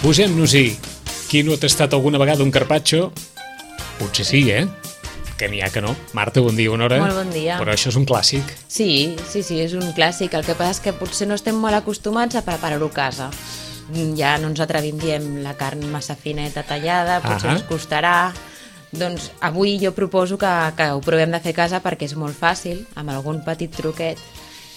Posem-nos-hi. Qui no ha tastat alguna vegada un carpaccio? Potser sí, que n'hi ha que no. Marta, bon dia, bona hora. Molt bon dia. Però això és un clàssic. Sí, és un clàssic. El que passa és que potser no estem molt acostumats a preparar-ho a casa. Ja no ens atrevim, diem, la carn massa fineta tallada, potser ens costarà. Doncs avui jo proposo que ho provem de fer a casa perquè és molt fàcil, amb algun petit truquet.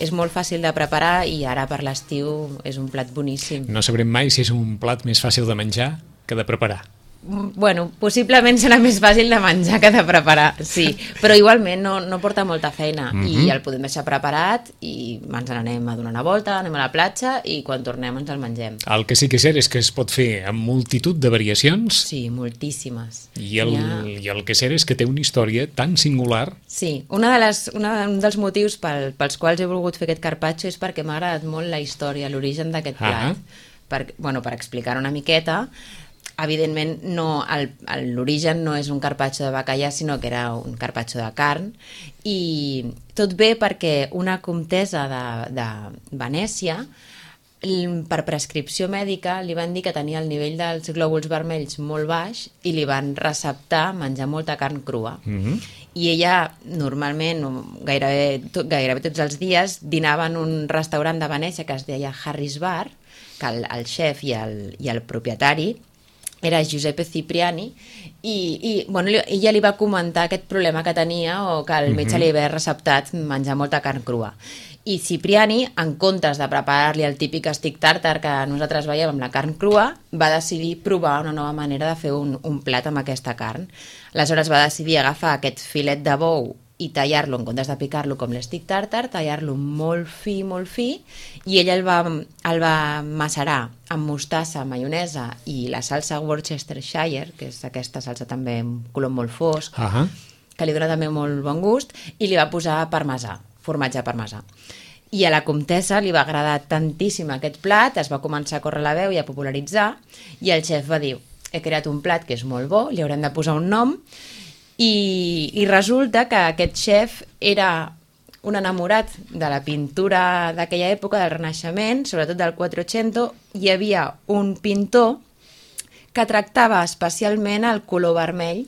És molt fàcil de preparar i ara per l'estiu és un plat boníssim. No sabrem mai si és un plat més fàcil de menjar que de preparar. Bueno, possiblement serà més fàcil de menjar que de preparar, sí. Però igualment no porta molta feina i el podem deixar preparat i ens n'anem a donar una volta, anem a la platja i quan tornem ens el mengem. El que sí que és cert és que es pot fer amb multitud de variacions. Sí, moltíssimes. I el que és cert és que té una història tan singular. Sí, un dels motius pels quals he volgut fer aquest carpaccio és perquè m'ha agradat molt la història, l'origen d'aquest plat. Per explicar una miqueta, evidentment l'origen no és un carpaccio de bacallà, sinó que era un carpaccio de carn, i tot ve perquè una comtessa de Venècia, per prescripció mèdica, li van dir que tenia el nivell dels glòbuls vermells molt baix i li van receptar menjar molta carn crua. I ella normalment, gairebé tots els dies, dinava en un restaurant de Venècia que es deia Harris Bar, que el xef i el propietari era Giuseppe Cipriani, i ella li va comentar aquest problema que tenia o que el metge li havia receptat menjar molta carn crua. I Cipriani, en comptes de preparar-li el típic stick tartar que nosaltres veiem amb la carn crua, va decidir provar una nova manera de fer un plat amb aquesta carn. Aleshores va decidir agafar aquest filet de bou i tallar-lo, en comptes de picar-lo com l'stick tartar, tallar-lo molt fi, i ella el va macerar amb mostassa, maionesa i la salsa Worcestershire, que és aquesta salsa també amb color molt fosc, que li dona també molt bon gust, i li va posar parmesà, formatge parmesà. I a la comtessa li va agradar tantíssim aquest plat, es va començar a córrer la veu i a popularitzar, i el xef va dir, he creat un plat que és molt bo, li haurem de posar un nom, i resulta que aquest xef era un enamorat de la pintura d'aquella època, del Renaixement, sobretot del Quattrocento. Hi havia un pintor que tractava especialment el color vermell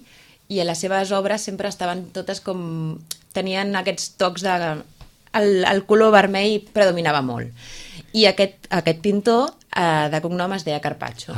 i a les seves obres sempre estaven totes com... tenien aquests tocs de... El color vermell predominava molt. I aquest pintor de cognom es deia Carpaccio.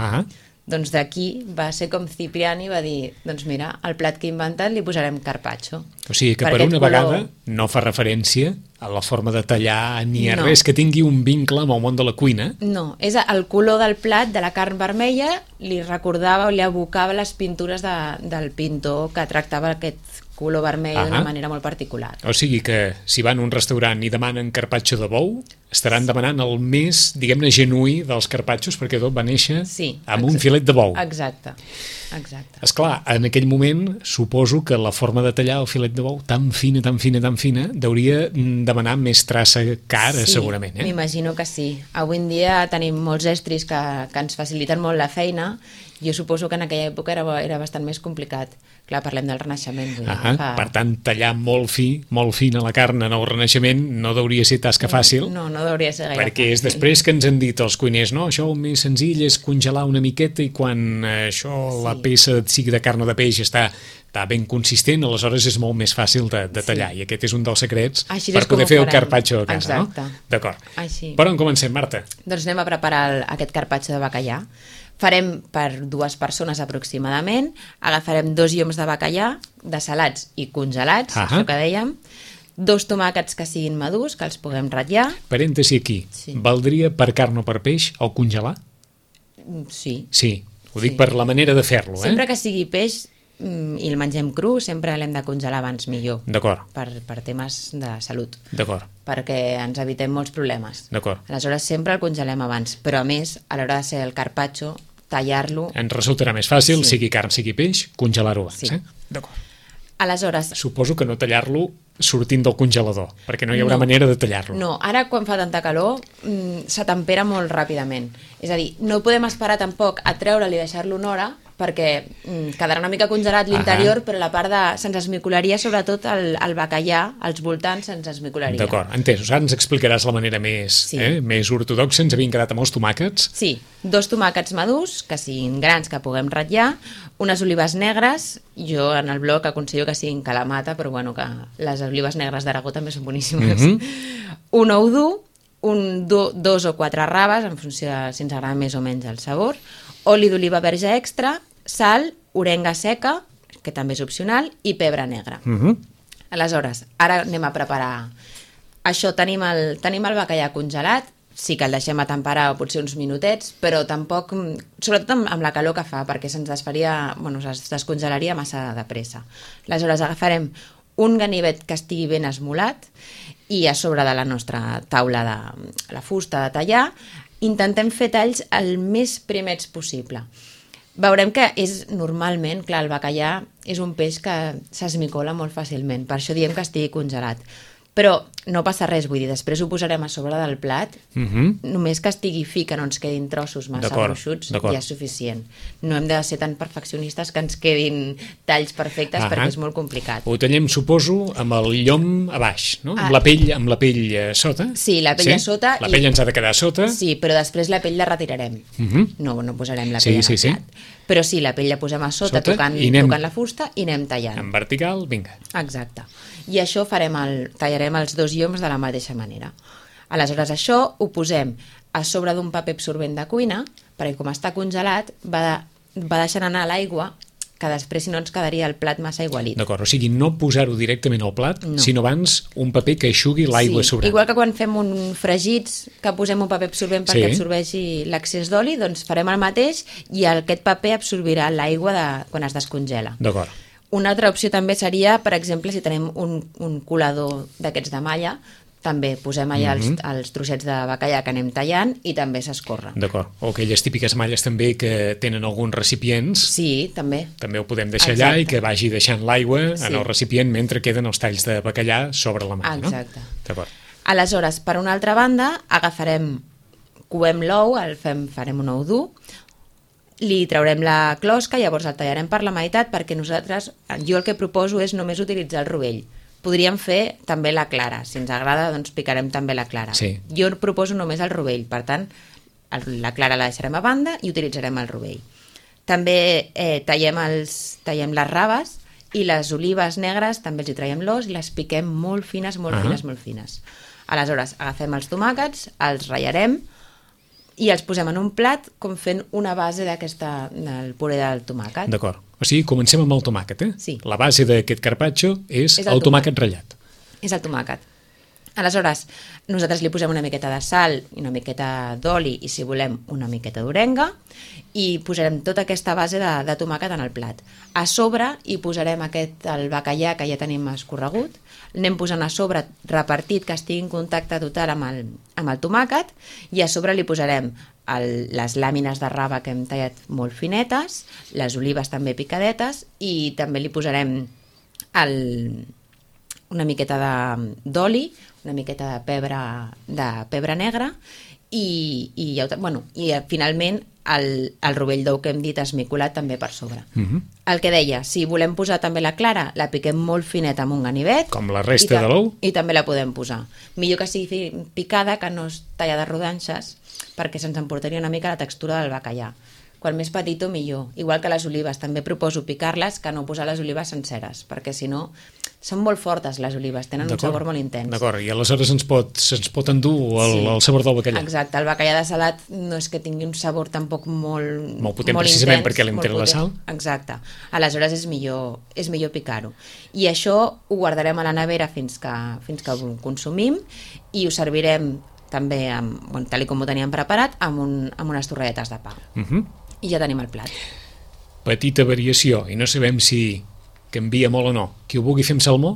Doncs d'aquí va ser com Cipriani va dir, doncs mira, el plat que he inventat li posarem carpaccio. O sigui que per una vegada no fa referència a la forma de tallar ni a res que tingui un vincle amb el món de la cuina. No, és el color del plat, de la carn vermella, li recordava o li evocava les pintures del pintor que tractava aquest color vermell d'una manera molt particular. O sigui que si van a un restaurant i demanen carpaccio de bou, estaran demanant el més, diguem-ne, genuí dels carpaccios, perquè tot va néixer amb un filet de bou. Exacte. Esclar, en aquell moment suposo que la forma de tallar el filet de bou tan fina, hauria demanar més traça cara, segurament. M'imagino que sí. Avui en dia tenim molts estris que ens faciliten molt la feina. Jo suposo que en aquella època era bastant més complicat. Clar, parlem del Renaixement. Per tant, tallar molt fina la carn en el Renaixement no hauria ser tasca fàcil. No hauria ser gaire perquè és després que ens han dit els cuiners, no, això el més senzill és congelar una miqueta i quan la peça sigui de carn o de peix està ben consistent, aleshores és molt més fàcil de tallar, i aquest és un dels secrets per poder fer el carpaccio a casa. Exacte. D'acord. Per on comencem, Marta? Doncs anem a preparar aquest carpaccio de bacallà. Farem per 2 persones aproximadament, agafarem 2 lloms de bacallà, desalats i congelats, això que dèiem, 2 tomàquets que siguin madurs, que els puguem ratllar. Parèntesi aquí, valdria per carn o per peix el congelar? Sí. Sí, ho dic per la manera de fer-lo. Sempre que sigui peix i el mengem cru, sempre l'hem de congelar abans millor. D'acord. Per temes de salut. D'acord. Perquè ens evitem molts problemes. D'acord. Aleshores sempre el congelem abans, però a més, a l'hora de ser el carpaccio, tallar-lo... Ens resultarà més fàcil, sigui carn, sigui peix, congelar-ho abans. Sí. D'acord. Aleshores... Suposo que no tallar-lo sortint del congelador, perquè no hi haurà manera de tallar-lo. No, ara quan fa tanta calor s'atempera molt ràpidament. És a dir, no podem esperar tampoc a treure'l i deixar-lo una hora, perquè quedarà una mica congelat l'interior, però la part de... se'ns esmicolaria, sobretot el bacallà, als voltants se'ns esmicolaria. D'acord, entès. Ara ens explicaràs la manera més ortodoxa. Ens havien quedat amb els tomàquets. Sí, 2 tomàquets madurs, que siguin grans, que puguem ratllar, unes olives negres, jo en el blog aconsello que siguin calamata, però bueno, que les olives negres d'Aragó també són boníssimes. Un ou dur, 2 o 4 raves, en funció de si ens agrada més o menys el sabor, oli d'oliva verge extra, sal, orenga seca, que també és opcional, i pebre negre. Aleshores, ara anem a preparar. Això, tenim el bacallà congelat, sí que el deixem a temperar potser uns minutets, però tampoc, sobretot amb la calor que fa, perquè se'ns desfaria, es descongelaria massa de pressa. Aleshores, agafarem un ganivet que estigui ben esmolat i a sobre de la nostra taula de la fusta de tallar intentem fer talls el més primets possible. Veurem que és normalment, clar, el bacallà és un peix que s'esmicola molt fàcilment, per això diem que estigui congelat. Però no passa res, vull dir, després ho posarem a sobre del plat, només que estigui fi, que no ens quedin trossos massa gruixuts, ja és suficient. No hem de ser tan perfeccionistes que ens quedin talls perfectes, perquè és molt complicat. Ho tallem, suposo, amb el llom a baix, no? Amb la pell sota. Sí, la pell a sota. La pell ens ha de quedar a sota. Sí, però després la pell la retirarem. No posarem la pell en el plat. Però sí, la pell la posem a sota tocant la fusta i anem tallant. En vertical, vinga. Exacte. I això tallarem els 2 lloms de la mateixa manera. Aleshores, això ho posem a sobre d'un paper absorbent de cuina, perquè com està congelat va deixant anar l'aigua, que després si no ens quedaria el plat massa aigualit. D'acord, o sigui, no posar-ho directament al plat, sinó abans un paper que eixugui l'aigua sobrant. Igual que quan fem un fregits, que posem un paper absorbent perquè absorbeixi l'excés d'oli, doncs farem el mateix i aquest paper absorbirà l'aigua quan es descongela. D'acord. Una altra opció també seria, per exemple, si tenim un colador d'aquests de malla, també posem allà els trossets de bacallà que anem tallant i també s'escorre. D'acord. O aquelles típiques malles també que tenen alguns recipients. Sí, també. També ho podem deixar allà i que vagi deixant l'aigua en el recipient mentre queden els talls de bacallà sobre la malla. Exacte. No? D'acord. Aleshores, per una altra banda, coem l'ou, farem un ou dur, li traurem la closca, llavors el tallarem per la meitat perquè jo el que proposo és només utilitzar el rovell. Podríem fer també la clara, si ens agrada doncs picarem també la clara. Jo proposo només el rovell, per tant la clara la deixarem a banda i utilitzarem el rovell. També tallem les raves i les olives negres també els hi traiem l'os i les piquem molt fines, molt fines. Aleshores agafem els tomàquets, els ratllarem i els posem en un plat com fent una base del puré del tomàquet. D'acord. O sigui, comencem amb el tomàquet, Sí. La base d'aquest carpaccio és el tomàquet ratllat. És el tomàquet. Aleshores, nosaltres li posem una miqueta de sal i una miqueta d'oli i, si volem, una miqueta d'orenga i posarem tota aquesta base de tomàquet en el plat. A sobre hi posarem el bacallà que ja tenim escorregut, anem posant a sobre repartit que estigui en contacte total amb el tomàquet i a sobre li posarem les làmines de raba que hem tallat molt finetes, les olives també picadetes i també li posarem una miqueta d'oli, una miqueta de pebre negre i finalment el rovell d'ou que hem dit esmicolat també per sobre. El que deia, si volem posar també la clara, la piquem molt fineta amb un ganivet. Com la resta de l'ou? I també la podem posar. Millor que sigui picada, que no es talla de rodanxes, perquè se'ns emportaria una mica la textura del bacallà. Quan més petitó, millor. Igual que les olives, també proposo picar-les, que no posar les olives senceres, perquè si no són molt fortes les olives, tenen un sabor molt intens. D'acord, i aleshores se'ns pot endur el sabor del bacallà. Exacte, el bacallà de salat no és que tingui un sabor tampoc molt potent, precisament perquè li entén la sal. Exacte, aleshores és millor picar-ho. I això ho guardarem a la nevera fins que ho consumim i ho servirem també, tal com ho teníem preparat, amb unes torradetes de pa. I ja tenim el plat. Petita variació, i no sabem si canvia molt o no. Qui ho vulgui fer amb salmó?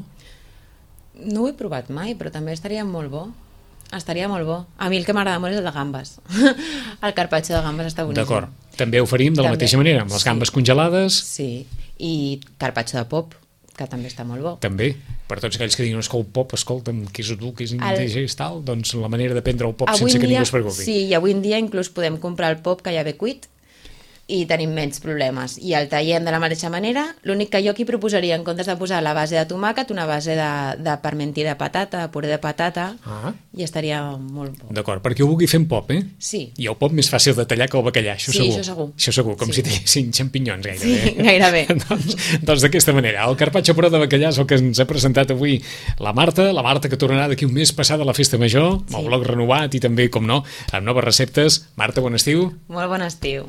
No ho he provat mai, però també estaria molt bo. Estaria molt bo. A mi el que m'agrada molt és el de gambes. El carpaccio de gambes està boníssim. D'acord. També ho faríem de la mateixa manera, amb les gambes congelades. Sí, i carpaccio de pop, que també està molt bo. També, per tots aquells que diuen que el pop, escolta'm, que és dur, que és indigest, tal, doncs la manera de prendre el pop sense que ningú es preocupi. Sí, i avui en dia inclús podem comprar el pop que ja ve cuit i tenim menys problemes. I el tallem de la mateixa manera, l'únic que jo aquí proposaria, en comptes de posar la base de tomàquet, una base de parmentí de patata, de puré de patata, i estaria molt bo. D'acord, perquè ho vulgui fer en pop, Sí. I el pop més fàcil de tallar que el bacallà, això segur. Sí, això segur. Això segur, com si tinguessin xampinyons gairebé. Sí, gairebé. doncs d'aquesta manera, el carpaccio però de bacallà és el que ens ha presentat avui la Marta que tornarà d'aquí un mes passada a la Festa Major, amb el blog renovat i també, com no, amb noves receptes. Marta, bon estiu. Molt bon estiu.